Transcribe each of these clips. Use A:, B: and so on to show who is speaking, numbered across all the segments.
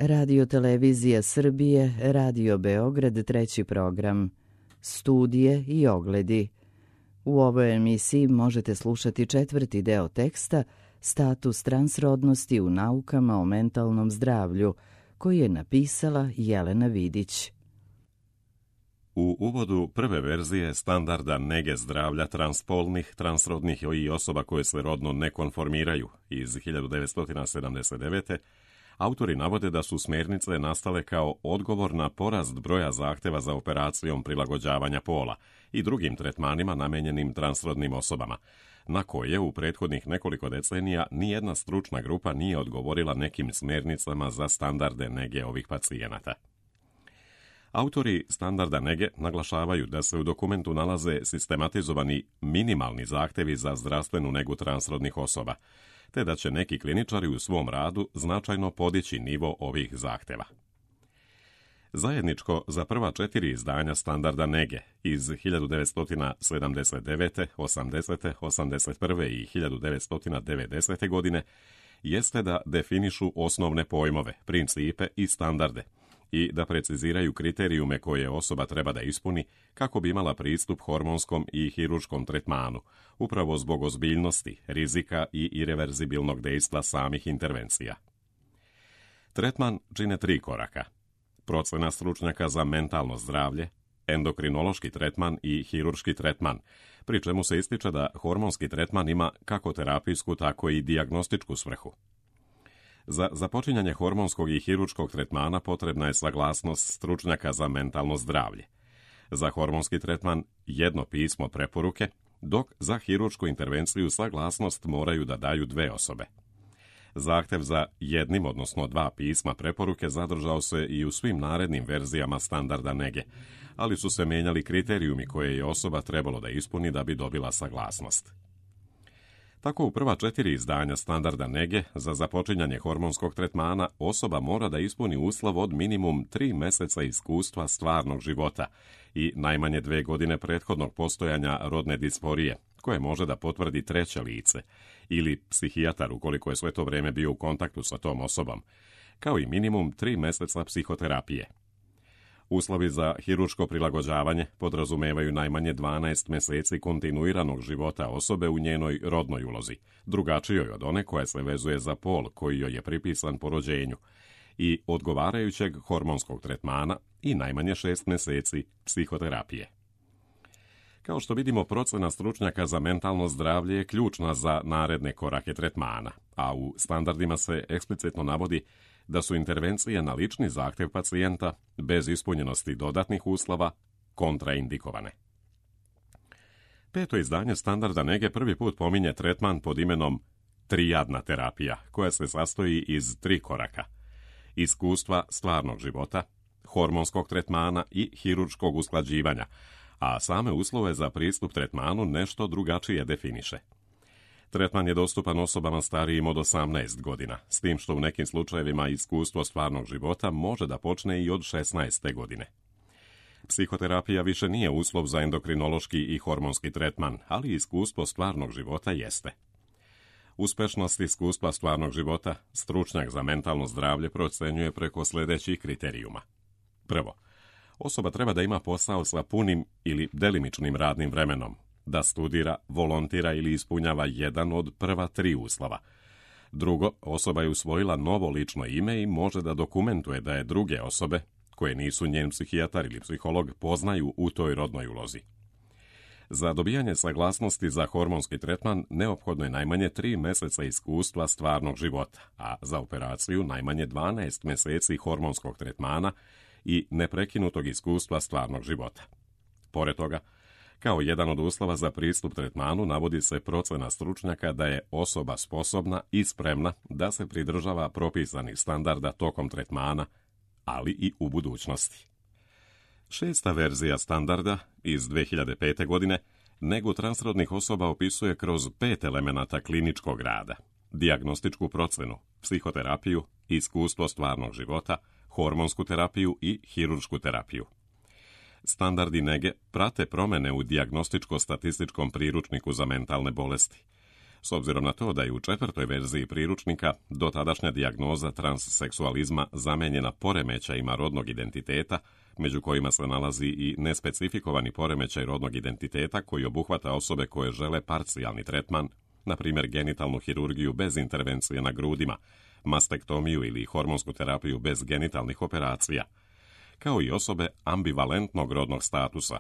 A: Radio Televizija Srbije, Radio Beograd, treći program. Studije i ogledi. U ovoj emisiji možete slušati četvrti deo teksta Status transrodnosti u naukama o mentalnom zdravlju, koji je napisala Jelena Vidić.
B: U uvodu prve verzije standarda nege zdravlja transspolnih, transrodnih i osoba koje se rodno ne konformiraju iz 1979. autori navode da su smjernice nastale kao odgovor na porast broja zahtjeva za operacijom prilagođavanja pola i drugim tretmanima namijenjenim transrodnim osobama, na koje u prethodnih nekoliko decenija nijedna stručna grupa nije odgovorila nekim smjernicama za standarde nege ovih pacijenata. Autori standarda nege naglašavaju da se u dokumentu nalaze sistematizovani minimalni zahtjevi za zdravstvenu negu transrodnih osoba, te da će neki kliničari u svom radu značajno podići nivo ovih zahtjeva. Zajedničko za prva 4 izdanja standarda nege iz 1979., 80., 81. i 1990. godine jeste da definišu osnovne pojmove, principe i standarde i da preciziraju kriterijume koje osoba treba da ispuni kako bi imala pristup hormonskom i hirurškom tretmanu, upravo zbog ozbiljnosti, rizika i ireverzibilnog dejstva samih intervencija. Tretman čine 3 koraka: procena stručnjaka za mentalno zdravlje, endokrinološki tretman i hirurški tretman, pri čemu se ističe da hormonski tretman ima kako terapijsku, tako i dijagnostičku svrhu. Za započinjanje hormonskog i hirurškog tretmana potrebna je saglasnost stručnjaka za mentalno zdravlje. Za hormonski tretman jedno pismo preporuke, dok za hiruršku intervenciju saglasnost moraju da daju 2 osobe. Zahtjev za jednim, odnosno 2 pisma preporuke zadržao se i u svim narednim verzijama standarda nege, ali su se mijenjali kriterijumi koje je osoba trebalo da ispuni da bi dobila saglasnost. Tako u prva 4 izdanja standarda nege za započinjanje hormonskog tretmana osoba mora da ispuni uslov od minimum 3 mjeseca iskustva stvarnog života i najmanje 2 godine prethodnog postojanja rodne disforije, koje može da potvrdi treće lice, ili psihijatar ukoliko je sve to vrijeme bio u kontaktu sa tom osobom, kao i minimum 3 mjeseca psihoterapije. Uslovi za hirurško prilagođavanje podrazumevaju najmanje 12 mjeseci kontinuiranog života osobe u njenoj rodnoj ulozi, drugačijoj od one koja se vezuje za pol koji joj je pripisan po rođenju, i odgovarajućeg hormonskog tretmana i najmanje 6 mjeseci psihoterapije. Kao što vidimo, procena stručnjaka za mentalno zdravlje je ključna za naredne korake tretmana, a u standardima se eksplicitno navodi da su intervencije na lični zahtjev pacijenta bez ispunjenosti dodatnih uslova kontraindikovane. 5. izdanje standarda nege prvi put pominje tretman pod imenom trijadna terapija, koja se sastoji iz 3 koraka: iskustva stvarnog života, hormonskog tretmana i hirurškog usklađivanja, a same uslove za pristup tretmanu nešto drugačije definiše. Tretman je dostupan osobama starijim od 18 godina, s tim što u nekim slučajevima iskustvo stvarnog života može da počne i od 16. godine. Psihoterapija više nije uslov za endokrinološki i hormonski tretman, ali iskustvo stvarnog života jeste. Uspešnost iskustva stvarnog života stručnjak za mentalno zdravlje procenjuje preko sljedećih kriterijuma. Prvo, osoba treba da ima posao sa punim ili delimičnim radnim vremenom, da studira, volontira ili ispunjava jedan od prva 3 uslova. Drugo, osoba je usvojila novo lično ime i može da dokumentuje da je druge osobe, koje nisu njen psihijatar ili psiholog, poznaju u toj rodnoj ulozi. Za dobijanje saglasnosti za hormonski tretman neophodno je najmanje 3 mjeseca iskustva stvarnog života, a za operaciju najmanje 12 mjeseci hormonskog tretmana i neprekinutog iskustva stvarnog života. Pored toga, kao jedan od uslova za pristup tretmanu navodi se procena stručnjaka da je osoba sposobna i spremna da se pridržava propisanih standarda tokom tretmana, ali i u budućnosti. 6. verzija standarda iz 2005. godine negu transrodnih osoba opisuje kroz 5 elemenata kliničkog rada: dijagnostičku procenu, psihoterapiju, iskustvo stvarnog života, hormonsku terapiju i hiruršku terapiju. Standardi nege prate promjene u dijagnostičko-statističkom priručniku za mentalne bolesti. s obzirom na to da je u 4. verziji priručnika dotadašnja dijagnoza transseksualizma zamenjena poremećajima rodnog identiteta, među kojima se nalazi i nespecifikovani poremećaj rodnog identiteta koji obuhvata osobe koje žele parcijalni tretman, na primjer genitalnu hirurgiju bez intervencije na grudima, mastektomiju ili hormonsku terapiju bez genitalnih operacija, kao i osobe ambivalentnog rodnog statusa.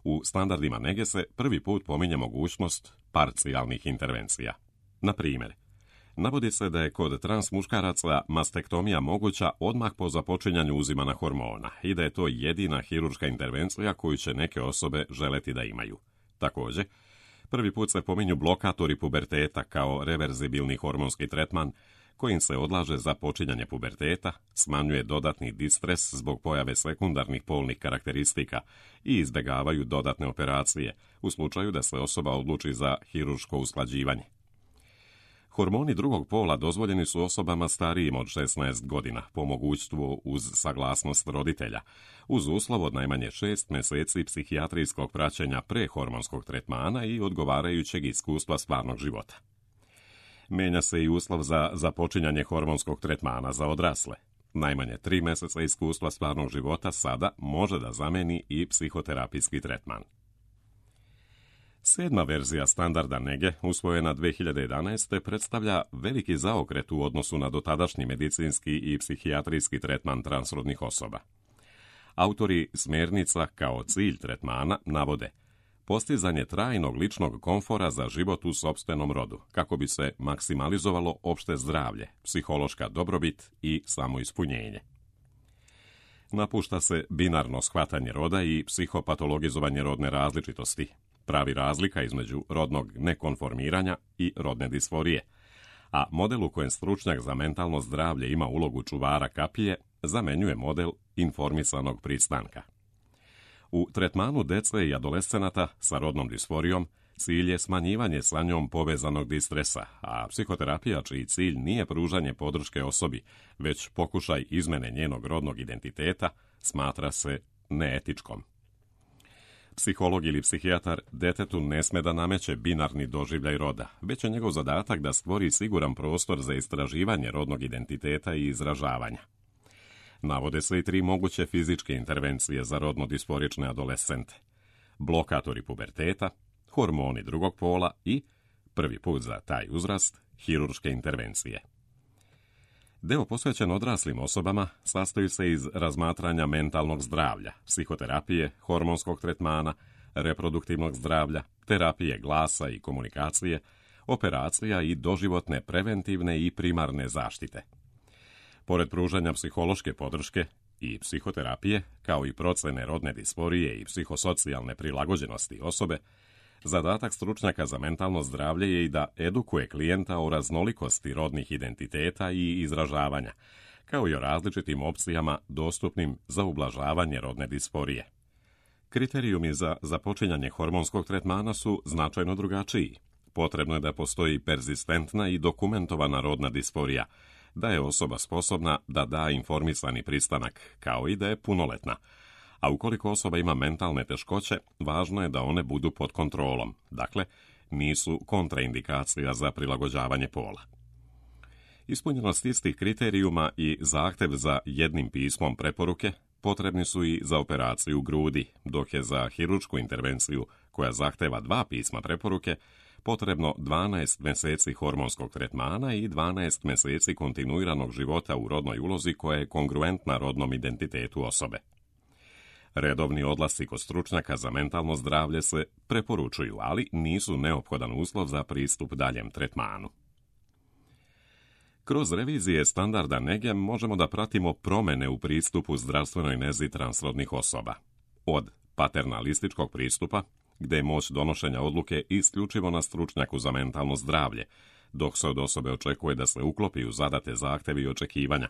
B: U standardima nege se prvi put pominje mogućnost parcijalnih intervencija. Na primjer, navodi se da je kod trans muškaraca mastektomija moguća odmah po započinjanju uzimana hormona i da je to jedina hirurška intervencija koju će neke osobe želeti da imaju. Također, prvi put se pominju blokatori puberteta kao reverzibilni hormonski tretman kojim se odlaže započinjanje puberteta, smanjuje dodatni distres zbog pojave sekundarnih polnih karakteristika i izbjegavaju dodatne operacije u slučaju da se osoba odluči za hirurško usklađivanje. Hormoni drugog pola dozvoljeni su osobama starijim od 16 godina, po mogućstvu uz saglasnost roditelja, uz uslov od najmanje 6 mjeseci psihijatrijskog praćenja prehormonskog tretmana i odgovarajućeg iskustva stvarnog života. Menja se i uslov za započinjanje hormonskog tretmana za odrasle. Najmanje 3 mjeseca iskustva stvarnog života sada može da zameni i psihoterapijski tretman. 7. verzija standarda nege, usvojena 2011. predstavlja veliki zaokret u odnosu na dotadašnji medicinski i psihijatrijski tretman transrodnih osoba. Autori smjernica kao cilj tretmana navode postizanje trajnog ličnog komfora za život u sopstvenom rodu, kako bi se maksimalizovalo opšte zdravlje, psihološka dobrobit i samoispunjenje. Napušta se binarno shvatanje roda i psihopatologizovanje rodne različitosti, pravi razlika između rodnog nekonformiranja i rodne disforije, a model u kojem stručnjak za mentalno zdravlje ima ulogu čuvara kapije zamenjuje model informisanog pristanka. U tretmanu dece i adolescenata sa rodnom disforijom cilj je smanjivanje sa njom povezanog distresa, a psihoterapija čiji cilj nije pružanje podrške osobi, već pokušaj izmene njenog rodnog identiteta, smatra se neetičkom. Psiholog ili psihijatar detetu ne sme da nameće binarni doživljaj roda, već je njegov zadatak da stvori siguran prostor za istraživanje rodnog identiteta i izražavanja. Navode se i 3 moguće fizičke intervencije za rodno disforične adolescente: blokatori puberteta, hormoni drugog pola i, prvi put za taj uzrast, hirurške intervencije. Deo posvećen odraslim osobama sastoji se iz razmatranja mentalnog zdravlja, psihoterapije, hormonskog tretmana, reproduktivnog zdravlja, terapije glasa i komunikacije, operacija i doživotne preventivne i primarne zaštite. Pored pružanja psihološke podrške i psihoterapije, kao i procene rodne disforije i psihosocijalne prilagođenosti osobe, zadatak stručnjaka za mentalno zdravlje je i da edukuje klijenta o raznolikosti rodnih identiteta i izražavanja, kao i o različitim opcijama dostupnim za ublažavanje rodne disforije. Kriterijumi za započinjanje hormonskog tretmana su značajno drugačiji. Potrebno je da postoji perzistentna i dokumentovana rodna disforija, da je osoba sposobna da da informisani pristanak, kao i da je punoletna. A ukoliko osoba ima mentalne teškoće, važno je da one budu pod kontrolom, dakle, nisu kontraindikacija za prilagođavanje pola. Ispunjenost istih kriterijuma i zahtjev za jednim pismom preporuke potrebni su i za operaciju grudi, dok je za hiruršku intervenciju, koja zahteva 2 pisma preporuke, potrebno 12 mjeseci hormonskog tretmana i 12 mjeseci kontinuiranog života u rodnoj ulozi koja je kongruentna rodnom identitetu osobe. Redovni odlasci kod stručnjaka za mentalno zdravlje se preporučuju, ali nisu neophodan uslov za pristup daljem tretmanu. Kroz revizije standarda nege možemo da pratimo promjene u pristupu zdravstvenoj nezi transrodnih osoba. Od paternalističkog pristupa, gdje je moć donošenja odluke isključivo na stručnjaku za mentalno zdravlje, dok se od osobe očekuje da se uklopi u zadate zahtjevi i očekivanja,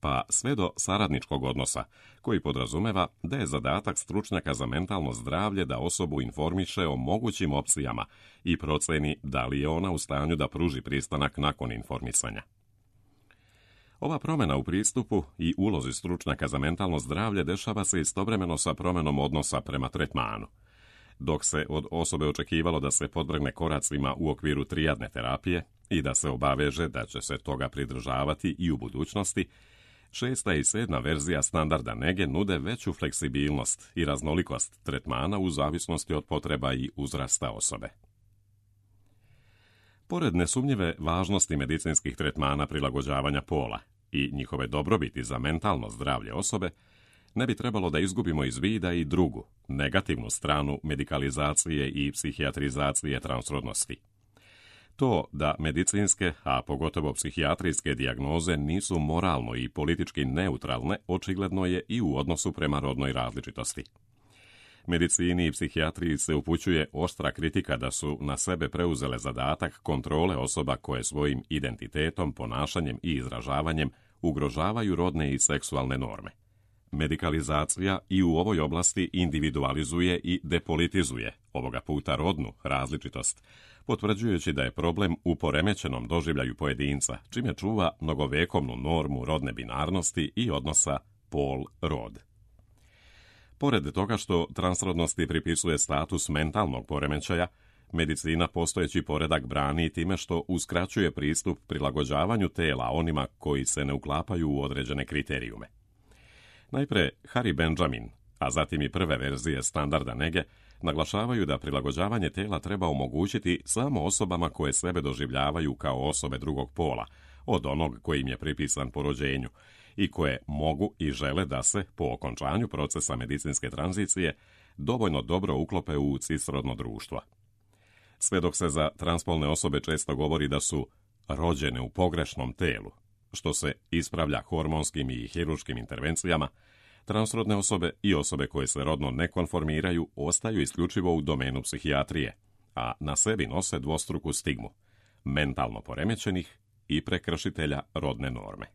B: pa sve do saradničkog odnosa, koji podrazumeva da je zadatak stručnjaka za mentalno zdravlje da osobu informiše o mogućim opcijama i proceni da li je ona u stanju da pruži pristanak nakon informisanja. Ova promjena u pristupu i ulozi stručnjaka za mentalno zdravlje dešava se istovremeno sa promjenom odnosa prema tretmanu. Dok se od osobe očekivalo da se podvrgne koracima u okviru trijadne terapije i da se obaveže da će se toga pridržavati i u budućnosti, 6. i 7. verzija standarda nege nude veću fleksibilnost i raznolikost tretmana u zavisnosti od potreba i uzrasta osobe. Pored nesumnjive važnosti medicinskih tretmana prilagođavanja pola i njihove dobrobiti za mentalno zdravlje osobe, ne bi trebalo da izgubimo iz vida i drugu, negativnu stranu medikalizacije i psihijatrizacije transrodnosti. To da medicinske, a pogotovo psihijatrijske dijagnoze nisu moralno i politički neutralne, očigledno je i u odnosu prema rodnoj različitosti. Medicini i psihijatriji se upućuje oštra kritika da su na sebe preuzele zadatak kontrole osoba koje svojim identitetom, ponašanjem i izražavanjem ugrožavaju rodne i seksualne norme. Medikalizacija i u ovoj oblasti individualizuje i depolitizuje, ovoga puta rodnu različitost, potvrđujući da je problem u poremećenom doživljaju pojedinca, čime čuva mnogovekovnu normu rodne binarnosti i odnosa pol-rod. Pored toga što transrodnosti pripisuje status mentalnog poremećaja, medicina postojeći poredak brani time što uskraćuje pristup prilagođavanju tela onima koji se ne uklapaju u određene kriterijume. Najpre, Harry Benjamin, a zatim i prve verzije standarda nege, naglašavaju da prilagođavanje tela treba omogućiti samo osobama koje sebe doživljavaju kao osobe drugog pola, od onog koji im je pripisan po rođenju, i koje mogu i žele da se, po okončanju procesa medicinske tranzicije, dovoljno dobro uklope u cisrodno društvo. Sve dok se za transpolne osobe često govori da su rođene u pogrešnom telu, što se ispravlja hormonskim i hirurškim intervencijama, transrodne osobe i osobe koje se rodno ne konformiraju ostaju isključivo u domenu psihijatrije, a na sebi nose dvostruku stigmu – mentalno poremećenih i prekršitelja rodne norme.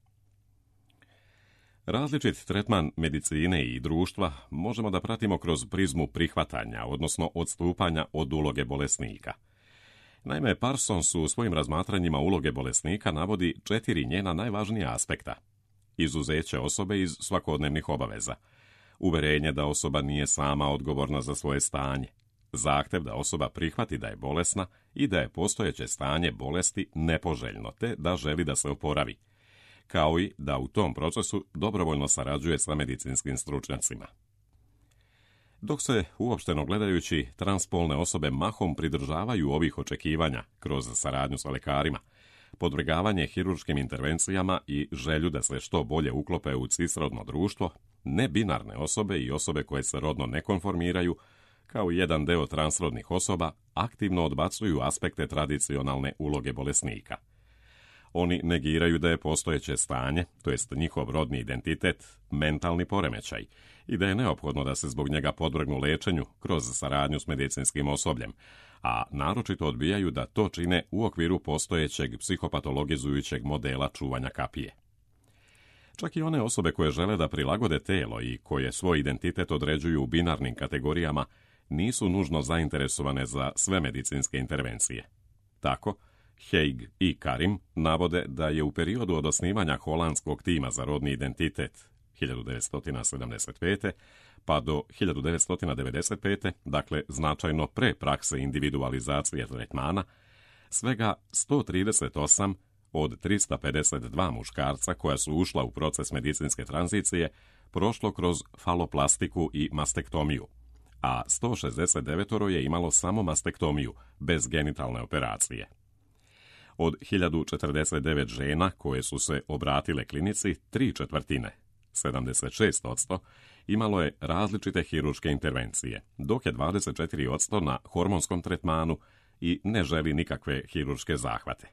B: Različit tretman medicine i društva možemo da pratimo kroz prizmu prihvatanja, odnosno odstupanja od uloge bolesnika. Naime, Parsons u svojim razmatranjima uloge bolesnika navodi 4 njena najvažnija aspekta. Izuzeće osobe iz svakodnevnih obaveza, uverenje da osoba nije sama odgovorna za svoje stanje, zahtev da osoba prihvati da je bolesna i da je postojeće stanje bolesti nepoželjno te da želi da se oporavi, kao i da u tom procesu dobrovoljno sarađuje sa medicinskim stručnjacima. Dok se, uopšteno gledajući, transpolne osobe mahom pridržavaju ovih očekivanja kroz saradnju sa lekarima, podvrgavanje hirurškim intervencijama i želju da se što bolje uklope u cisrodno društvo, nebinarne osobe i osobe koje se rodno ne konformiraju, kao jedan deo transrodnih osoba, aktivno odbacuju aspekte tradicionalne uloge bolesnika. Oni negiraju da je postojeće stanje, to jest njihov rodni identitet, mentalni poremećaj i da je neophodno da se zbog njega podvrgnu lečenju kroz saradnju s medicinskim osobljem, a naročito odbijaju da to čine u okviru postojećeg psihopatologizujućeg modela čuvanja kapije. Čak i one osobe koje žele da prilagode telo i koje svoj identitet određuju u binarnim kategorijama nisu nužno zainteresovane za sve medicinske intervencije. Tako, Haig i Karim navode da je u periodu od osnivanja holandskog tima za rodni identitet 1975. pa do 1995. dakle značajno pre prakse individualizacije tretmana, svega 138 od 352 muškarca koja su ušla u proces medicinske tranzicije prošlo kroz faloplastiku i mastektomiju, a 169 je imalo samo mastektomiju, bez genitalne operacije. Od 1049 žena koje su se obratile klinici, 3/4, 76%, imalo je različite hirurške intervencije, dok je 24% na hormonskom tretmanu i ne želi nikakve hirurške zahvate.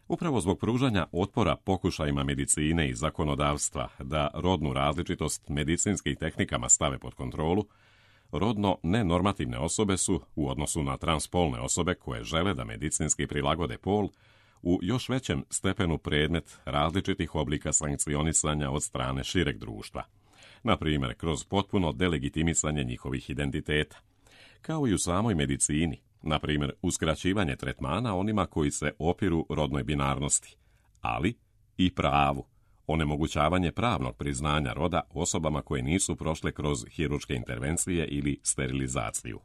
B: Upravo zbog pružanja otpora pokušajima medicine i zakonodavstva da rodnu različitost medicinskim tehnikama stave pod kontrolu, rodno nenormativne osobe su, u odnosu na transpolne osobe koje žele da medicinski prilagode pol, u još većem stepenu predmet različitih oblika sankcionisanja od strane šireg društva, na primjer kroz potpuno delegitimisanje njihovih identiteta, kao i u samoj medicini, na primjer uskraćivanje tretmana onima koji se opiru rodnoj binarnosti, ali i pravu, onemogućavanje pravnog priznanja roda osobama koje nisu prošle kroz hirurške intervencije ili sterilizaciju.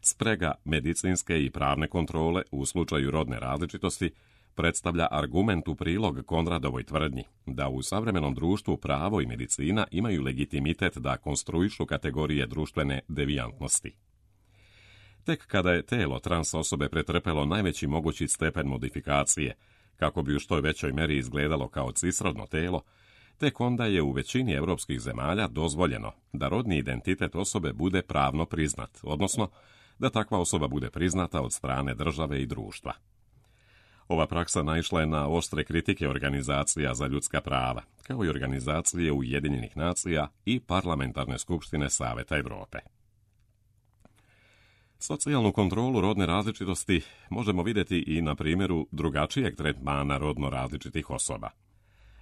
B: Sprega medicinske i pravne kontrole u slučaju rodne različitosti predstavlja argument u prilog Konradovoj tvrdnji da u savremenom društvu pravo i medicina imaju legitimitet da konstruišu kategorije društvene devijantnosti. Tek kada je telo trans osobe pretrpelo najveći mogući stepen modifikacije, kako bi u što većoj meri izgledalo kao cisrodno telo, tek onda je u većini europskih zemalja dozvoljeno da rodni identitet osobe bude pravno priznat, odnosno da takva osoba bude priznata od strane države i društva. Ova praksa naišla je na oštre kritike organizacija za ljudska prava, kao i organizacije Ujedinjenih nacija i Parlamentarne skupštine Saveta Europe. Socijalnu kontrolu rodne različitosti možemo vidjeti i na primjeru drugačijeg tretmana rodno različitih osoba.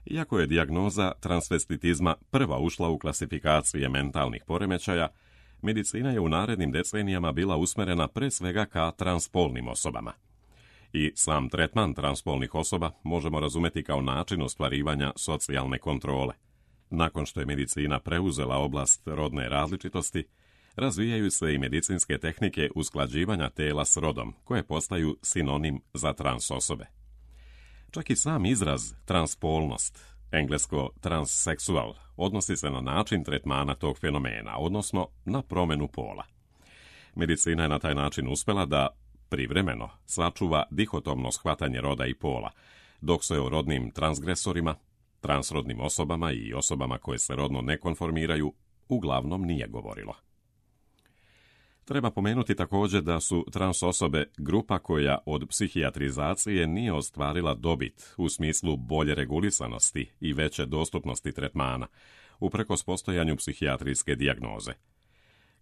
B: Iako je dijagnoza transvestitizma prva ušla u klasifikacije mentalnih poremećaja, medicina je u narednim decenijama bila usmjerena pre svega ka transpolnim osobama. I sam tretman transpolnih osoba možemo razumjeti kao način ostvarivanja socijalne kontrole. Nakon što je medicina preuzela oblast rodne različitosti, razvijaju se i medicinske tehnike usklađivanja tela s rodom, koje postaju sinonim za trans osobe. Čak i sam izraz transpolnost, englesko transseksual, odnosi se na način tretmana tog fenomena, odnosno na promjenu pola. Medicina je na taj način uspjela da privremeno sačuva dihotomno shvatanje roda i pola, dok se o rodnim transgresorima, transrodnim osobama i osobama koje se rodno ne konformiraju uglavnom nije govorilo. Treba pomenuti također da su trans osobe grupa koja od psihijatrizacije nije ostvarila dobit u smislu bolje regulisanosti i veće dostupnosti tretmana, uprkos postojanju psihijatrijske dijagnoze.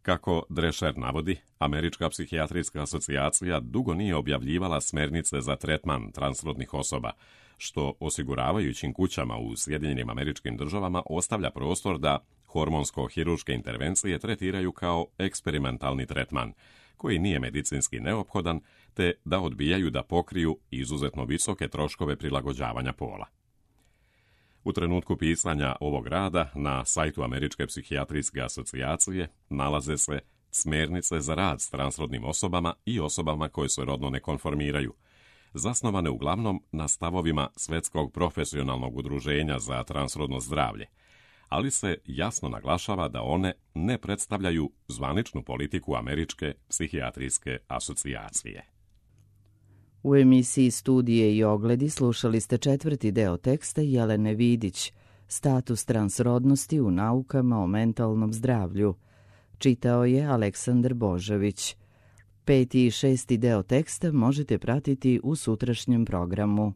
B: Kako Drescher navodi, Američka psihijatrijska asocijacija dugo nije objavljivala smjernice za tretman transrodnih osoba, što osiguravajućim kućama u Sjedinjenim Američkim Državama ostavlja prostor da hormonsko-hirurške intervencije tretiraju kao eksperimentalni tretman, koji nije medicinski neophodan, te da odbijaju da pokriju izuzetno visoke troškove prilagođavanja pola. U trenutku pisanja ovog rada na sajtu Američke psihijatrijske asocijacije nalaze se smjernice za rad s transrodnim osobama i osobama koje se rodno ne konformiraju, zasnovane uglavnom na stavovima Svjetskog profesionalnog udruženja za transrodno zdravlje, ali se jasno naglašava da one ne predstavljaju zvaničnu politiku Američke psihijatrijske asocijacije.
A: U emisiji Studije i ogledi slušali ste 4. deo teksta Jelene Vidić, Status transrodnosti u naukama o mentalnom zdravlju. Čitao je Aleksandar Božović. 5. i 6. deo teksta možete pratiti u sutrašnjem programu.